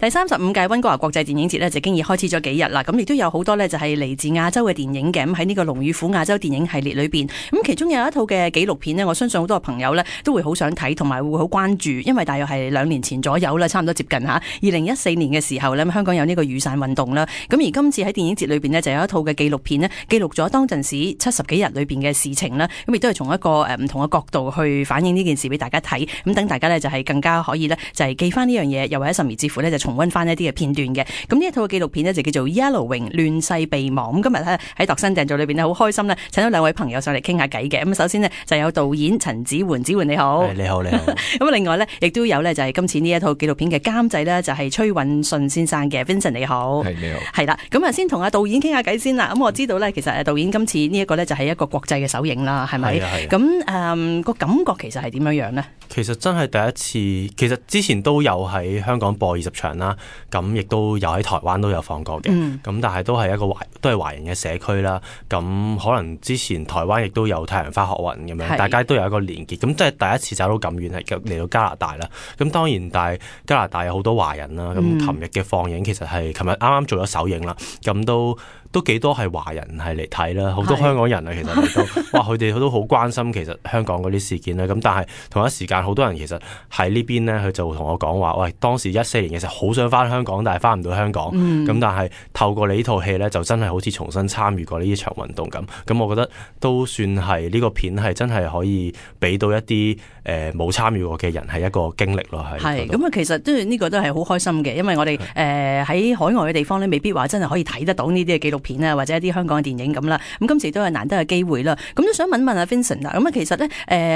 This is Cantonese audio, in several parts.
第35屆溫哥華國際電影節呢，就經已開始咗幾日啦，咁亦都有好多呢，就係嚟自亞洲嘅電影嘅，咁喺呢個龍與虎亞洲電影系列裏邊，咁其中有一套嘅紀錄片呢，我相信好多朋友呢都會好想睇，同埋會好關注，因為大約係2年前左右啦，差唔多接近吓2014年嘅時候呢，香港有呢個雨傘運動啦，咁而今次喺電影節裏邊呢，就有一套嘅紀錄片呢，記錄咗當陣時70幾日裏邊嘅事情啦，咁亦都係從一個唔同嘅角度去反映呢件事俾大家睇，咁等大家呢，就係更加可以呢，就係記翻呢樣嘢，又或者甚至乎呢，就重溫翻一啲嘅片段嘅。咁呢一套紀錄片呢，就叫做 Yellowwing 亂世備忘。咁今日呢，喺度身訂造裏邊呢，好開心呢，請到2位朋友上嚟傾下偈嘅。咁首先呢，就有導演陳梓桓，梓桓你好。你好，你好。咁另外呢，亦都有呢，就係今次呢一套紀錄片嘅監製呢，就係崔允信先生嘅 Vincent 你好。係，你好。係啦，咁啊先同阿導演傾下偈先啦。咁我知道呢，其實導演今次呢一個呢，就係一個國際嘅首映啦，係咪？咁個感覺其實係點樣樣呢？其實真係第一次，其實之前都有喺香港播20場啦，咁亦都有喺台灣都有放過嘅，咁但係都係都係華人嘅社區啦。咁可能之前台灣亦都有太陽花學運咁樣，大家都有一個連結。咁即係第一次走到咁遠係嚟到加拿大啦。咁當然，但係加拿大有好多華人啦。咁琴日嘅放映其實係琴日啱啱做咗首映啦，咁都幾多係華人係嚟睇啦，好多香港人啊，其實嚟到，哇，佢哋都好關心其實香港嗰啲事件啦。咁但係同一時間，好多人其實喺呢邊呢，佢就同我講話，喂，當時14年嘅時候好想翻香港，但係翻唔到香港。咁但係透過你呢套戲呢，就真係好似重新參與過呢一場運動咁。咁我覺得都算係呢個片係真係可以俾到一啲冇參與過嘅人係一個經歷咯。係咁啊，其實都呢個都係好開心嘅，因為我哋喺海外嘅地方呢，未必話真係可以睇得到呢啲嘅紀錄片啊，或者一啲香港嘅電影咁啦。咁今次都係難得嘅機會啦。咁都想問問阿 Vincent 啦。咁啊，其實呢，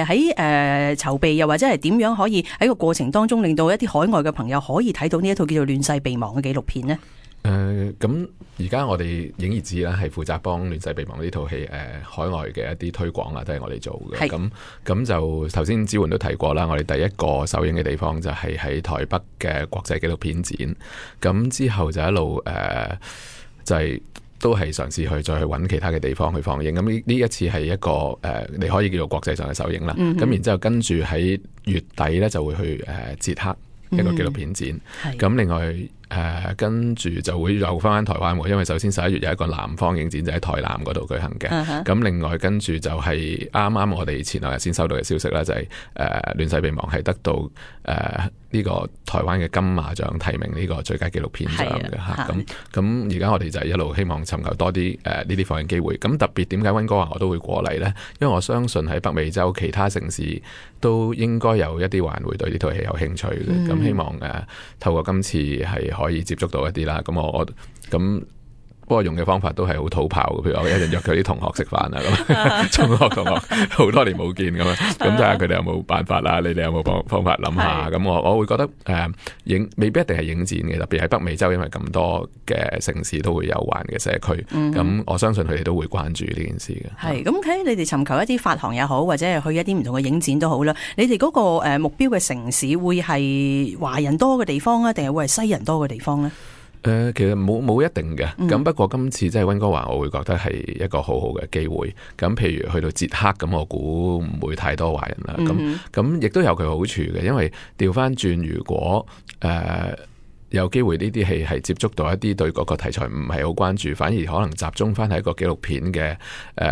喺籌備又或者係點樣可以喺個過程當中令到一啲海外嘅朋友可以睇到呢一套叫做《亂世備忘》嘅紀錄片呢？咁而家我哋影業誌啦，係負責幫《亂世備忘》呢套戲海外嘅一啲推廣啊，都係我哋做嘅。咁就頭先梓桓都提過啦，我哋第一個首映嘅地方就係喺台北嘅國際紀錄片展。咁之後就一路就係都係嘗試去再去揾其他嘅地方去放映。咁呢一次係一個你可以叫做國際上嘅首映啦。咁然之後跟住喺月底咧就會去捷克一個紀錄片展。咁另外跟住就會又翻台灣喎，因為首先11月有一個南方影展就喺台南嗰度舉行嘅。咁另外跟住就係啱啱我哋前兩日先收到嘅消息啦，就係亂世備忘係得到呢個台灣嘅金馬獎提名呢個最佳紀錄片獎嘅嚇。咁而家我哋就係一路希望尋求多啲呢啲放映機會。咁特別點解溫哥華我都會過嚟呢？因為我相信喺北美洲其他城市都應該有一啲華人會對呢套戲有興趣嘅。咁希望透過今次係可以接觸到一啲啦。咁我不過用嘅方法都係好土炮嘅，譬如我一日約佢啲同學食飯啊，咁中學同學好多年冇見咁樣，咁睇下佢哋有冇辦法啦，你哋有冇方法諗下？咁我會覺得未必一定係影展嘅，特別喺北美洲，因為咁多嘅城市都會有華人嘅社區，咁我相信佢哋都會關注呢件事嘅。係咁睇你哋尋求一啲發行也好，或者係去一啲唔同嘅影展都好啦。你哋嗰個目標嘅城市會係華人多嘅地方啊，定係會係西人多嘅地方呢？其實冇一定嘅，咁不過今次即係溫哥華，我會覺得係一個好好嘅機會。咁譬如去到捷克，咁我估唔會太多華人啦。咁亦都有佢好處嘅，因為調翻轉，如果有機會呢啲戲係接觸到一啲對嗰個題材唔係好關注，反而可能集中翻喺一個紀錄片嘅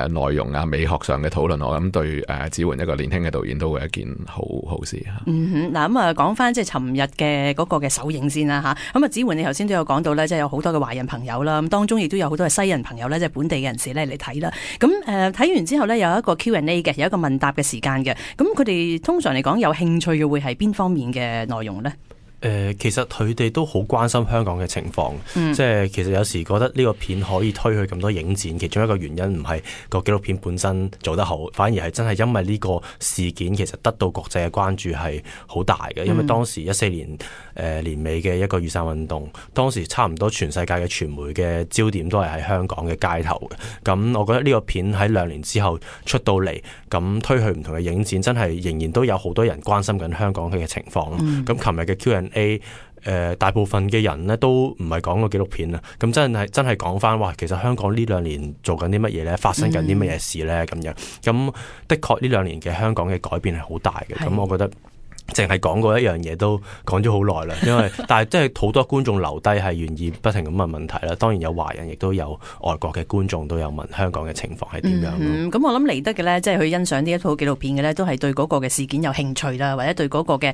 內容啊、美學上嘅討論，我諗對梓桓一個年輕嘅導演都會一件好事嚇。嗱咁啊，講翻即係尋日嘅嗰個嘅首映先啦嚇。咁啊，梓桓你頭先都有講到咧，即係有好多嘅華人朋友啦，咁當中亦都有好多嘅西人朋友咧，即係本地嘅人士咧嚟睇啦。咁睇完之後咧，有一個 Q&A 嘅，有一個問答嘅時間嘅。咁佢哋通常嚟講有興趣嘅會係邊方面嘅內容咧？其實佢哋都好關心香港嘅情況，即係其實有時覺得呢個片可以推去咁多影展，其中一個原因唔係個紀錄片本身做得好，反而係真係因為呢個事件其實得到國際嘅關注係好大嘅。因為當時14年年尾嘅一個雨傘運動，當時差唔多全世界嘅傳媒嘅焦點都係喺香港嘅街頭嘅。咁我覺得呢個片喺2年之後出到嚟，咁推去唔同嘅影展，真係仍然都有好多人關心緊香港嘅情況。咁琴日嘅 Q&A，大部分嘅人呢都唔係講個紀錄片啦，咁真係講翻，哇，其實香港呢2年做緊啲乜嘢呢？發生緊啲乜嘢事呢？咁樣，咁的確呢2年嘅香港嘅改變係好大嘅。咁我覺得淨係講過一樣嘢都講咗好耐啦，因為但係即係好多觀眾留低係願意不停咁問問題啦。當然有華人，亦都有外國嘅觀眾都有問香港嘅情況係點樣。咁我諗嚟得嘅呢，即係去欣賞呢一套紀錄片嘅呢，都係對嗰個嘅事件有興趣啦，或者對嗰個嘅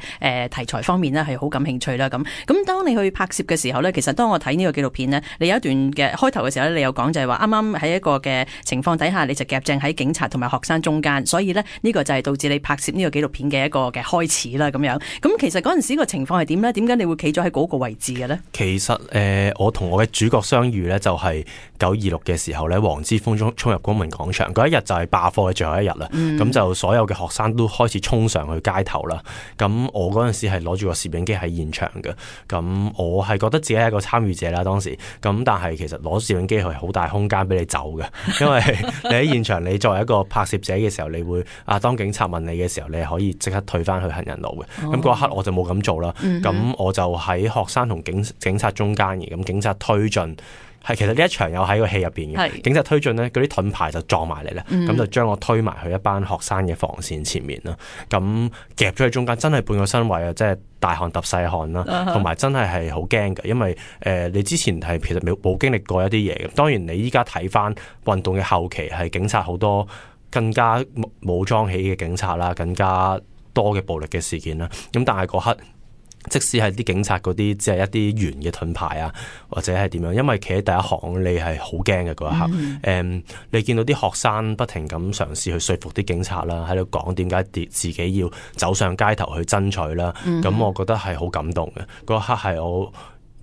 題材方面呢係好感興趣啦。咁當你去拍攝嘅時候呢，其實當我睇呢個紀錄片呢，你有一段嘅開頭嘅時候呢，你有講就係話啱啱喺一個嘅情況底下，你就夾正喺警察同埋學生中間，所以呢，呢個就係導致你拍攝呢個紀錄片嘅一個嘅開始啦。咁樣咁其實嗰陣時個情況係點呢？點解你會企咗喺嗰個位置嘅呢？其實我同我嘅主角相遇呢，就係926嘅時候呢，黃之鋒衝入公民廣場嗰一日就係罷課嘅最後一日啦。咁就所有嘅學生都開始衝上去街頭啦。咁我嗰陣時係攞住個攝影機喺現場嘅。咁我係覺得自己係一個參與者啦，當時。咁但係其實攞攝影機係好大空間俾你走嘅，因為你喺現場，你作為一個拍攝者嘅時候，你會當警察問你嘅時候，你可以即刻退翻去行人路嘅。咁嗰一刻我就冇咁做啦。咁我就喺學生同警察中間嘅。咁警察推進。其實呢一場有喺個戲入邊嘅，警察推進呢，嗰啲盾牌就撞埋嚟啦，咁就將我推埋去一班學生嘅防線前面啦，咁夾咗喺中間，真係半個身位啊，即係大汗揼細汗啦，同埋真係好驚嘅，因為你之前係其實冇經歷過一啲嘢嘅，當然你依家睇翻運動嘅後期係警察好多更加武裝起嘅警察啦，更加多嘅暴力嘅事件啦，咁但係嗰刻。即使係啲警察嗰啲，只係一啲圓嘅盾牌啊，或者係點樣，因為企喺第一行，你係好驚嘅嗰一刻。你見到啲學生不停咁嘗試去說服啲警察啦，喺度講點解自己要走上街頭去爭取啦。咁我覺得係好感動嘅。嗰一刻係我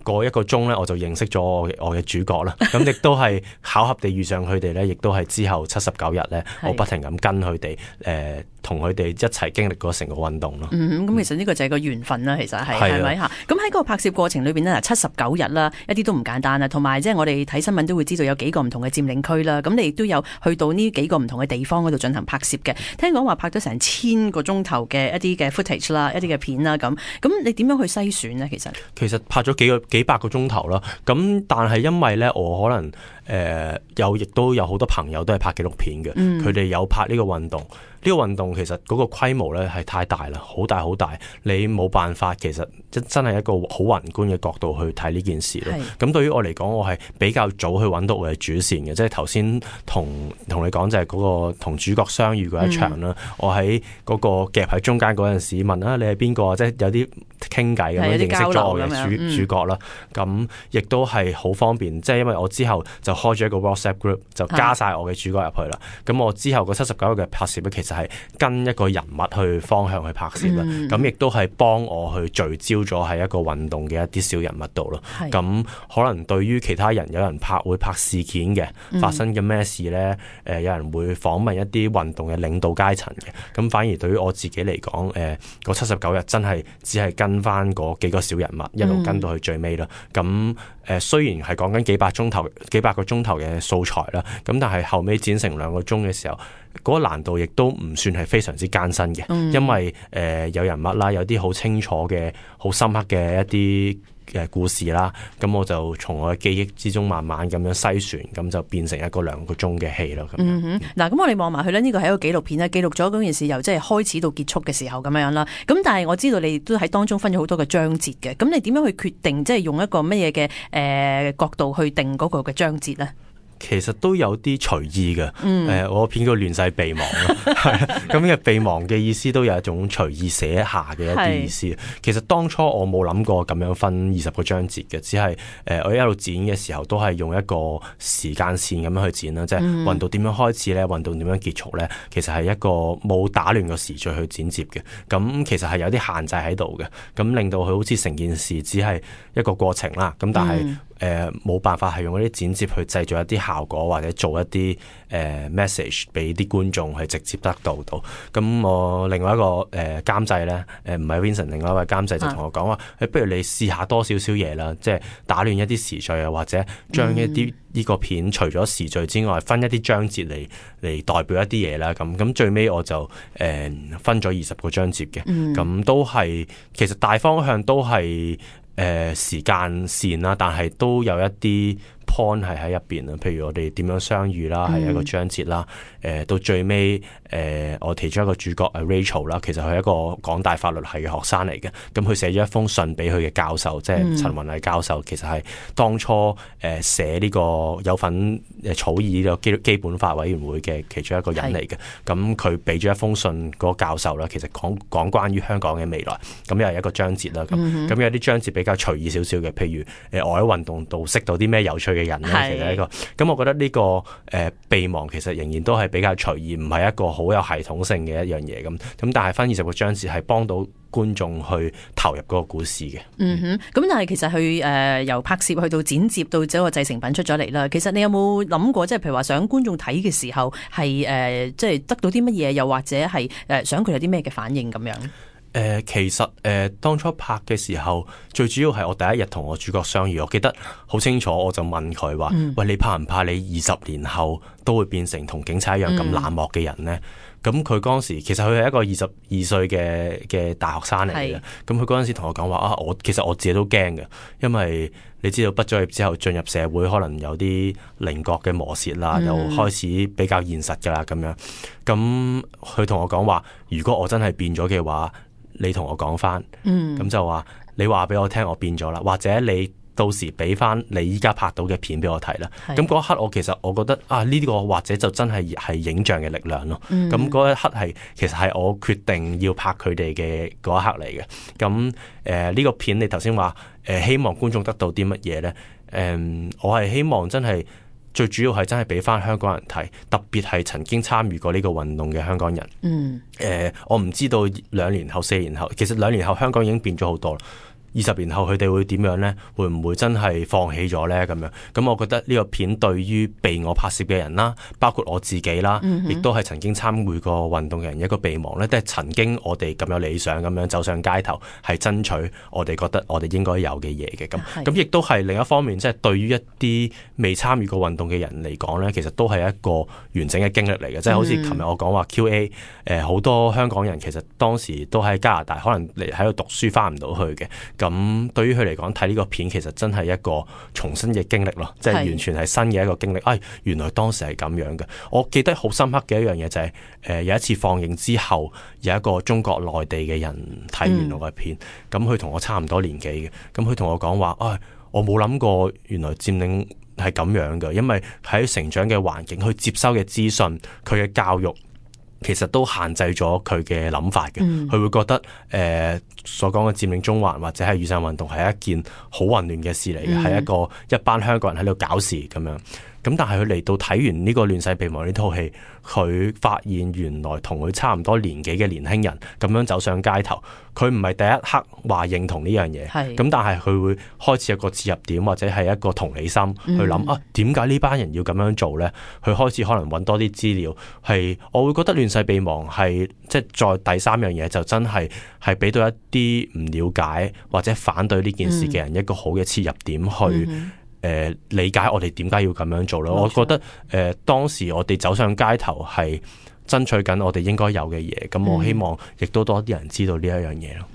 過一個鐘咧，我就認識咗我嘅主角啦。咁亦都係巧合地遇上佢哋咧，亦都係之後79日咧，我不停咁跟佢哋同佢哋一齊經歷過成個運動咯。咁其實呢個就係個緣分啦，其實係咪嚇？咁喺個拍攝過程裏邊呢，79日啦，一啲都唔簡單啦。同埋即係我哋睇新聞都會知道有幾個唔同嘅佔領區啦。咁你亦都有去到呢幾個唔同嘅地方嗰度進行拍攝嘅。聽講話拍咗成1000個鐘頭嘅一啲嘅 footage 啦，一啲嘅片啦咁。咁你點樣去篩選呢？其實拍咗幾百個鐘頭啦。咁但係因為咧，我可能亦都有好多朋友都係拍紀錄片嘅，佢哋有拍呢個運動。呢個運動其實嗰個規模咧係太大啦，好大好大，你冇辦法其實真係一個好宏觀嘅角度去睇呢件事咯。咁對於我嚟講，我係比較早去揾到我嘅主線嘅，即係頭先同你講就係嗰個同主角相遇嗰一場啦。我喺嗰個夾喺中間嗰陣時問你係邊個啊？即係有啲傾偈咁樣認識咗我嘅主角啦。咁亦都係好方便，即係因為我之後就開咗一個 WhatsApp group， 就加晒我嘅主角入去啦。咁我之後個79日嘅拍攝咧，其實係跟一個人物去方向去拍攝啦，咁亦都係幫我去聚焦咗喺一個運動嘅一啲小人物度咯。咁可能對於其他人，有人會拍事件嘅，發生嘅咩事呢？有人會訪問一啲運動嘅領導階層嘅。咁反而對於我自己嚟講，個79日真係只係跟翻嗰幾個小人物，一路跟到去最尾啦。咁雖然係講緊幾百個鐘頭嘅素材啦，咁但係後尾剪成2個鐘嘅時候，嗰個難度亦都唔算係非常之艱辛嘅，因為有人物啦，有啲好清楚嘅、好深刻嘅一啲故事啦，咁我就從我嘅記憶之中慢慢咁樣篩選，咁就變成一個2個鐘嘅戲咯。嗱，咁我哋望埋去呢，呢個係一個紀錄片咧，記錄咗嗰件事由即係開始到結束嘅時候咁樣啦。咁但係我知道你都喺當中分咗好多嘅章節嘅，咁你點樣去決定即係用一個乜嘢嘅角度去定嗰個嘅章節呢？其實都有啲隨意嘅，我片叫亂世備忘咯，咁嘅備忘嘅意思都有一種隨意寫下嘅一啲意思。其實當初我冇諗過咁樣分20個章節嘅，只係我一路剪嘅時候都係用一個時間線咁樣去剪啦，即係運動點樣開始咧，運動點樣結束咧，其實係一個冇打亂個時序去剪接嘅。咁其實係有啲限制喺度嘅，咁令到佢好似成件事只係一個過程啦。咁但係冇辦法係用嗰啲剪接去製造一啲效果，或者做一啲message 俾啲觀眾去直接得到。咁我另外一個監製咧，唔係 Vincent， 另外一位監製就同我講話，不如你試下多少少嘢啦，即係打亂一啲時序啊，或者將一啲呢個片除咗時序之外，分一啲章節嚟代表一啲嘢啦。咁最尾我就分咗20個章節嘅，咁都係其實大方向都係時間線啦，但係都有一啲 point 係喺入邊啊，譬如我哋點樣相遇啦，係一個章節啦。到最尾我其中一個主角Rachel 啦，其實佢係一個港大法律系嘅學生嚟嘅。咁佢寫咗一封信俾佢嘅教授，即係陳雲毅教授，其實係當初寫呢個有份草擬呢個基本法委員會嘅其中一個人嚟嘅。咁佢俾咗一封信嗰個教授啦，其實講關於香港嘅未來。咁又係一個章節啦。咁有啲章節比較隨意少少嘅，譬如我喺運動度識到啲咩有趣嘅人咧，其實一個。咁我覺得呢個備忘其實仍然都係比較隨意，唔係一個好有系統性嘅一樣嘢咁。但係分20個章節係幫到觀眾去投入嗰個故事嘅。咁但係其實佢由拍攝去到剪接到整個製成品出咗嚟啦。其實你有冇諗過，即係譬如話想觀眾睇嘅時候係即係得到啲乜嘢，又或者係想佢有啲咩嘅反應咁樣？其實當初拍嘅時候，最主要係我第一日同我主角相遇，我記得好清楚，我就問佢話：喂，你怕唔怕你20年後都會變成同警察一樣咁冷漠嘅人呢？咁佢嗰陣時，其實佢係一個22歲嘅大學生嚟嘅。咁佢嗰陣時同我講話其實我自己都驚嘅，因為你知道畢咗業之後進入社會，可能有啲稜角嘅磨蝕啦，又開始比較現實噶啦咁樣。咁佢同我講話：如果我真係變咗嘅話，你同我講翻，咁就話你話俾我聽我變咗啦，或者你到時俾翻你依家拍到嘅片俾我睇啦。咁嗰一刻其實我覺得呢個或者就真係影像嘅力量咯。咁嗰一刻其實係我決定要拍佢哋嘅嗰一刻嚟嘅。咁呢個片你頭先話希望觀眾得到啲乜嘢呢？我係希望真係最主要係真係俾翻香港人睇，特別係曾經參與過呢個運動嘅香港人。我唔知道2年後、4年後，其實2年後香港已經變咗好多啦。20年後佢哋會點樣呢？會唔會真係放棄咗呢？咁樣咁，我覺得呢個片對於被我拍攝嘅人啦，包括我自己啦，亦都係曾經參與過運動嘅人一個備忘呢，都係曾經我哋咁有理想咁樣走上街頭，係爭取我哋覺得我哋應該有嘅嘢嘅。咁亦都係另一方面，即係對於一啲未參與過運動嘅人嚟講呢，其實都係一個完整嘅經歷嚟嘅。即係好似琴日我講話 QA，好多香港人其實當時都喺加拿大，可能嚟喺度讀書翻唔到去嘅。咁對於佢嚟講，睇呢個片其實真係一個重新嘅經歷咯，即係完全係新嘅一個經歷。原來當時係咁樣嘅。我記得好深刻嘅一樣嘢就係有一次放映之後，有一個中國內地嘅人睇完我嘅片，咁佢同我差唔多年紀嘅，咁佢同我講話：我冇諗過原來佔領係咁樣嘅，因為喺成長嘅環境，去接收嘅資訊，佢嘅教育，其實都限制咗佢嘅諗法嘅。佢會覺得所講嘅佔領中環或者係雨傘運動係一件好混亂嘅事嚟嘅，係一班香港人喺度搞事咁樣。咁但係佢嚟到睇完呢個亂世備忘呢套戲，佢發現原來同佢差唔多年紀嘅年輕人咁樣走上街頭，佢唔係第一刻話認同呢樣嘢，咁但係佢會開始有個切入點或者係一個同理心去諗點解呢班人要咁樣做呢？佢開始可能揾多啲資料，係我會覺得亂世備忘係即係再第三樣嘢就真係俾到一啲唔了解或者反對呢件事嘅人一個好嘅切入點去。理解我哋點解要咁樣做咯？我覺得當時我哋走上街頭係爭取緊我哋應該有嘅嘢，咁我希望亦都多啲人知道呢一樣嘢咯。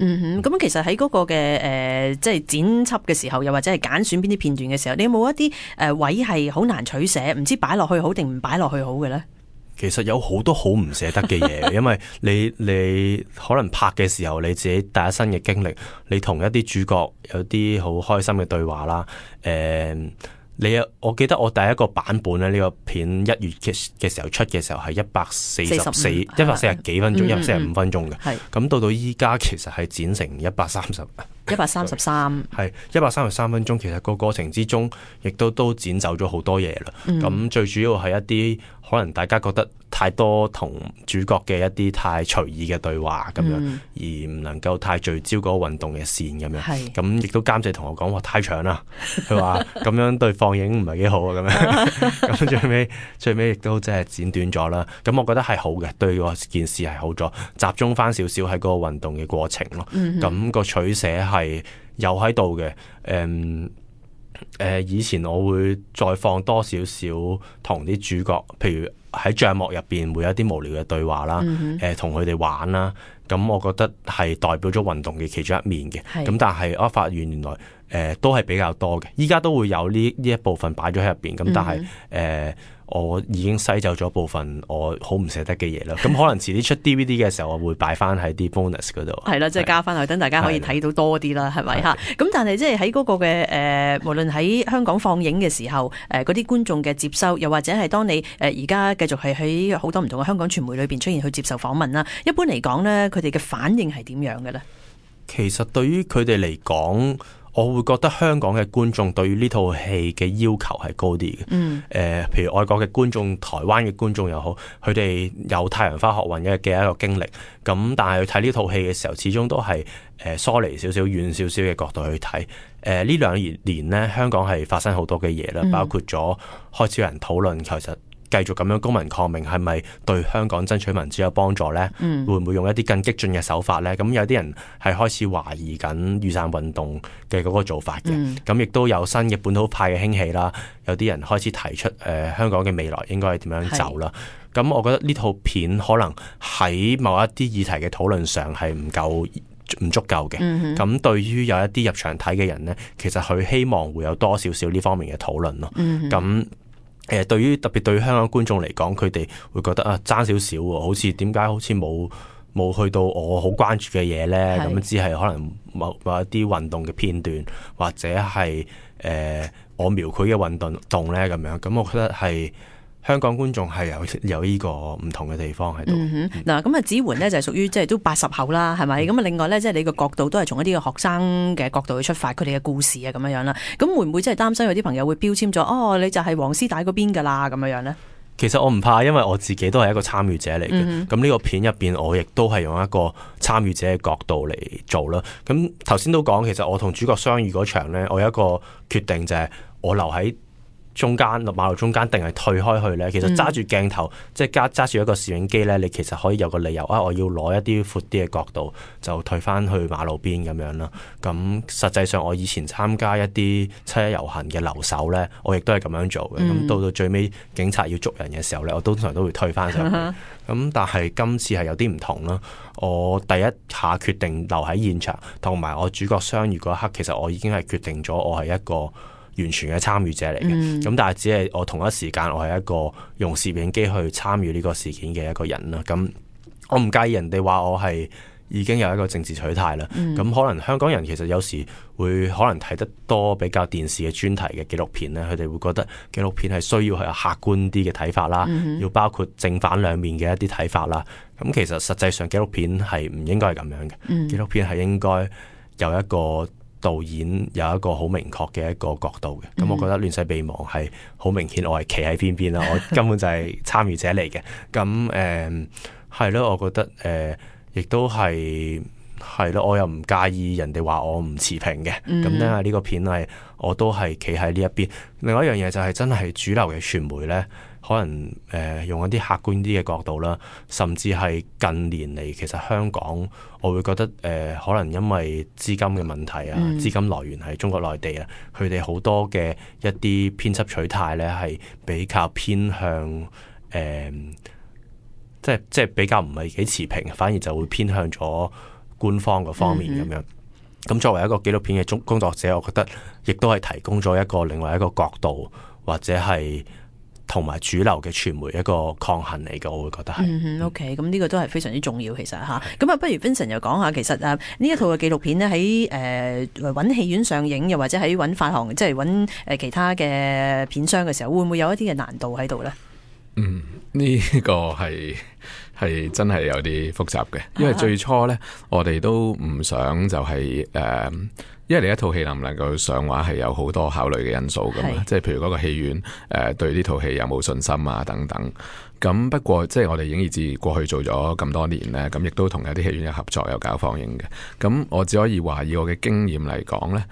咁其實喺嗰個嘅即係剪輯嘅時候，又或者係揀選邊啲片段嘅時候，你有冇一啲位係好難取捨，唔知擺落去好定唔擺落去好嘅咧？其實有好多好唔捨得嘅嘢，因為你可能拍嘅時候，你自己第一身嘅經歷，你同一啲主角有啲好開心嘅對話啦。我記得我第一個版本咧，呢個片1月嘅時候出嘅時候係140幾分鐘，145分鐘嘅。咁到依家其實係剪成133係133分鐘。其實個過程之中，亦都剪走咗好多嘢啦。咁最主要係一啲可能大家覺得太多同主角嘅一啲太隨意嘅對話咁樣，而唔能夠太聚焦嗰個運動嘅線咁樣。咁亦都監製同我講話太長啦，佢話咁樣對放映唔係幾好啊咁樣。咁最尾亦都即係剪短咗啦。咁我覺得係好嘅，對個件事係好咗，集中翻少少喺嗰個運動嘅過程咯。咁個取捨係有喺度嘅。以前我會再放多少少同啲主角，譬如喺帳幕入邊會有啲無聊嘅對話啦，同佢哋玩啦，咁我覺得係代表咗運動嘅其中一面嘅。咁但係我發現原來都係比較多嘅。依家都會有呢一部分擺咗喺入邊，咁但係我已經篩走咗部分我好唔捨得嘅嘢啦。咁可能遲啲出 DVD 嘅時候，我會擺翻喺啲 bonus 嗰度。係啦，即係加翻去，等大家可以睇到多啲啦，係咪嚇？咁但係即係喺嗰個嘅無論喺香港放映嘅時候，嗰啲觀眾嘅接收，又或者係當你而家繼續係喺好多唔同嘅香港傳媒裏邊出現去接受訪問啦，一般嚟講咧，佢哋嘅反應係點樣嘅咧？其實對於佢哋嚟講，我會覺得香港嘅觀眾對於呢套戲嘅要求係高啲嘅。譬如外國嘅觀眾、台灣嘅觀眾又好，佢哋有太陽花學運嘅一個經歷，咁但係去睇呢套戲嘅時候，始終都係疏離少少、遠少少嘅角度去睇。呢2年呢，香港係發生好多嘅嘢啦，包括咗開始有人討論其實繼續咁樣公民抗命係咪對香港爭取民主有幫助呢？會唔會用一啲更激進嘅手法呢？咁有啲人係開始懷疑緊雨傘運動嘅嗰個做法嘅。咁亦都有新嘅本土派嘅興起啦。有啲人開始提出香港嘅未來應該係點樣走啦。咁我覺得呢套片可能喺某一啲議題嘅討論上係唔足夠嘅。咁對於有一啲入場睇嘅人呢，其實佢希望會有多少少呢方面嘅討論咯。咁特別對於香港觀眾嚟講，佢哋會覺得爭少少喎，好似點解好似冇去到我好關注嘅嘢呢？咁只係可能某一啲運動嘅片段，或者係我描繪嘅運動呢咁樣。咁我覺得係香港觀眾係有呢個唔同嘅地方喺度。嗱，咁子桓呢就係屬於即係都80後啦，係咪？咁另外呢，即係你個角度都係從一啲嘅學生嘅角度去出發，佢哋嘅故事啊咁樣啦。咁會唔會真係擔心有啲朋友會標籤咗你就係黃絲帶嗰邊㗎啦咁樣呢？其實我唔怕，因為我自己都係一個參與者嚟嘅。咁呢個片入邊，我亦都係用一個參與者嘅角度嚟做啦。咁頭先都講，其實我同主角相遇嗰場呢，我有一個決定就係我留喺中間馬路中間定係退開去呢？其實揸住鏡頭，即係揸住一個攝影機呢，你其實可以有個理由我要攞一啲闊啲嘅角度，就退翻去馬路邊咁樣啦。咁實際上我以前參加一啲7·1遊行嘅留守呢，我亦都係咁樣做嘅。咁到最尾警察要捉人嘅時候呢，我通常都會退翻上去。咁但係今次係有啲唔同啦。我第一下決定留喺現場，同埋我主角相遇嗰一刻，其實我已經係決定咗我係一個完全嘅參與者嚟嘅。咁但係只係我同一時間我係一個用攝影機去參與呢個事件嘅一個人啦。咁我唔介意人哋話我係已經有一個政治取態啦。咁可能香港人其實有時會可能睇得多比較電視嘅專題嘅紀錄片咧，佢哋會覺得紀錄片係需要係有客觀啲嘅睇法啦，要包括正反兩面嘅一啲睇法啦。咁其實實際上紀錄片係唔應該係咁樣嘅。紀錄片係應該有一個導演有一個好明確嘅一個角度嘅。咁我覺得亂世備忘係好明顯我係企喺邊邊啦，我根本就係參與者嚟嘅。咁係咯，我覺得亦都係咯，我又唔介意人哋話我唔持平嘅。咁因為呢個片係我都係企喺呢一邊。另外一樣嘢就係真係主流嘅傳媒呢，可能用一啲客觀啲嘅角度啦，甚至係近年嚟其實香港我會覺得可能因為資金嘅問題啊，資金來源係中國內地啊，佢哋好多嘅一啲編輯取態呢係比較偏向即係比較唔係幾持平，反而就會偏向咗官方嗰方面咁樣。咁作為一個紀錄片嘅工作者，我覺得亦都係提供咗一個另外一個角度，或者係同埋主流嘅傳媒一個抗衡嚟嘅，我會覺得係。OK， 咁呢個都係非常之重要，其實嚇。咁不如 Vincent 又講下，其實呢一套嘅紀錄片呢，喺揾戲院上映，又或者喺揾發行，即係揾其他嘅片商嘅時候，會唔會有一啲嘅難度喺度呢？呢個係真係有啲複雜嘅，因為最初呢，我哋都唔想就係因為你一套戲能唔能夠上畫係有好多考慮嘅因素噶嘛，即係譬如嗰個戲院對呢套戲有冇信心啊等等。咁不過即係我哋影意志過去做咗咁多年呢，咁亦都同有啲戲院有合作有搞放映嘅。咁我只可以話以我嘅經驗嚟講呢，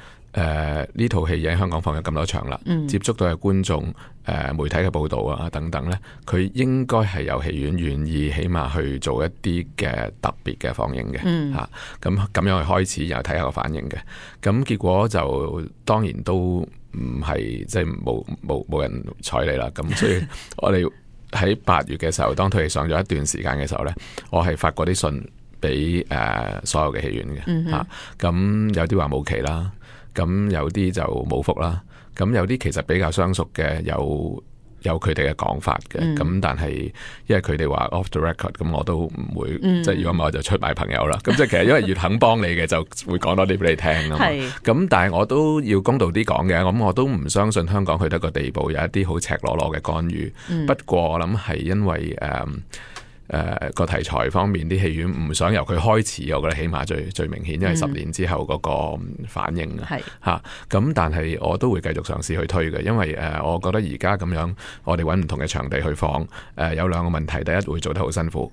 呢套戲喺香港放咗咁多場啦，接觸到嘅觀眾、媒體嘅報導啊等等呢，佢應該係有戲院願意起碼去做一啲嘅特別嘅放映嘅嚇，咁樣去開始然後睇下個反應嘅。咁結果就當然都唔係即係冇人睬你啦。咁所以我哋喺8月嘅時候，當套戲上咗一段時間嘅時候呢，我係發過啲信俾所有嘅戲院嘅嚇。咁有啲話冇期啦。咁有啲就冇覆啦，咁有啲其實比較相熟嘅有佢哋嘅講法嘅，咁但係因為佢哋話 off the record， 咁我都唔會，即係如果唔係我就出賣朋友啦。咁即係其實因為越肯幫你嘅就會講多啲俾你聽啊嘛。咁但係我都要公道啲講嘅，咁我都唔相信香港去到一個地步有一啲好赤裸裸嘅干預。不過我諗係因為個題材方面啲戲院唔想由佢開始，我覺得起碼最明顯，因為10年之後嗰個反應咁但係我都會繼續嘗試去推嘅，因為我覺得而家咁樣，我哋揾唔同嘅場地去放，有兩個問題，第一會做得好辛苦，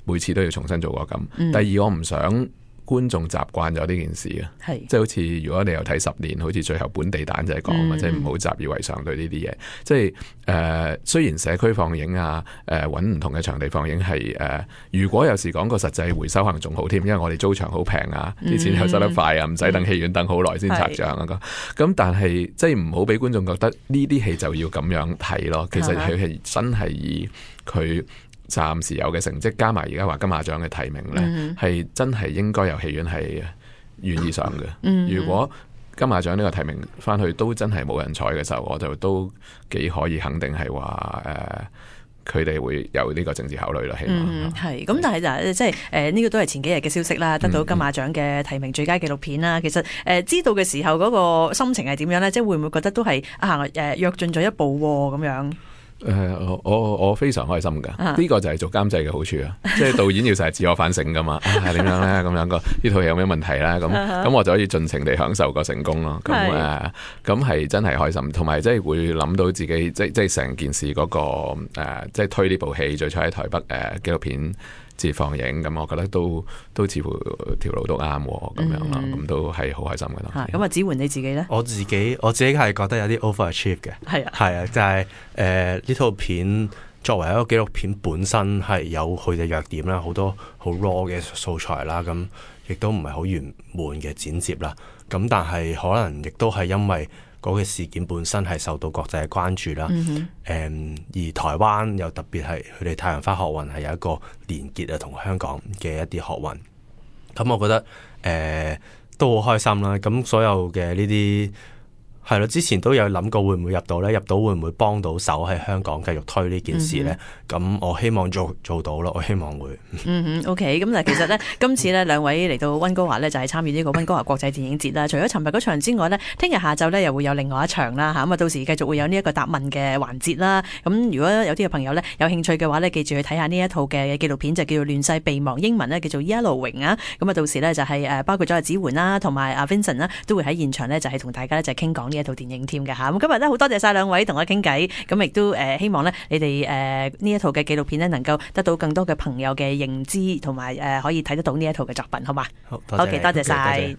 每次都要重新做過咁。第二我唔想觀眾習慣咗呢件事嘅，即係好似如果你有睇10年，好似最後本地蛋就係講即係唔好習以為常對呢啲嘢。即係雖然社區放映啊，揾唔同嘅場地放映係如果有時講個實際回收可能仲好添，因為我哋租場好平啊，啲錢又收得快啊，唔使等戲院等好耐先拆帳啊咁但係即係唔好俾觀眾覺得呢啲戲就要咁樣睇咯。其實佢係真係以佢暫時有嘅成績加埋而家話金馬獎嘅提名呢，係真係應該有戲院係願意上嘅。如果金馬獎呢個提名翻去都真係冇人睬嘅時候，我就都幾可以肯定係話佢哋會有呢個政治考慮啦。起碼係咁，但係就即係呢個都係前幾日嘅消息啦，得到金馬獎嘅提名最佳紀錄片啦。其實知道嘅時候嗰個心情係點樣呢？即係會唔會覺得都係躍進咗一步咁樣？我非常開心噶，呢個就係做監製嘅好處啊！即係導演要成日自我反省噶嘛，點樣咧？咁樣呢套戲有咩問題咧？咁我就可以盡情地享受個成功咯。咁係真係開心，同埋即係會諗到自己即係成件事嗰個即係推呢部戲最初喺台北紀錄片節放映，咁我覺得都似乎條路都啱咁樣啦，咁都係好開心嘅。咁子桓你自己咧？我自己係覺得有啲 overachieve 嘅，係啊，就係呢套片作為一個紀錄片本身係有佢嘅弱點啦，好多好 raw 嘅素材啦，咁亦都唔係好圓滿嘅剪接啦，咁但係可能亦都係因為嗰個事件本身係受到國際嘅關注啦，而台灣又特別係佢哋太陽花學運係有一個連結啊，同香港嘅一啲學運，咁我覺得都好開心啦。咁所有嘅呢啲係咯，之前都有諗過會唔會入到呢？入到會唔會幫到手喺香港繼續推呢件事呢？咁我希望做到咯，我希望會。OK， 咁其實呢，今次呢兩位嚟到溫哥華呢，就係參與呢個溫哥華國際電影節啦。除咗尋日嗰場之外呢，聽日下晝呢又會有另外一場啦嚇。咁到時繼續會有呢一個答問嘅環節啦。咁如果有啲嘅朋友呢有興趣嘅話呢，記住去睇下呢一套嘅紀錄片，就叫做《亂世備忘》，英文呢叫做 Yellowing 啊。咁到時呢就係包括咗子桓啦，同埋阿 Vincent 啦，都會喺現場呢，就係同大家呢就傾講呢一套電影添嘅嚇。咁今日呢好多謝晒兩位同我傾偈，咁亦都希望呢你哋呢一套嘅紀錄片呢能夠得到更多嘅朋友嘅認知，同埋可以睇得到呢一套嘅作品，好嘛？好，多謝晒。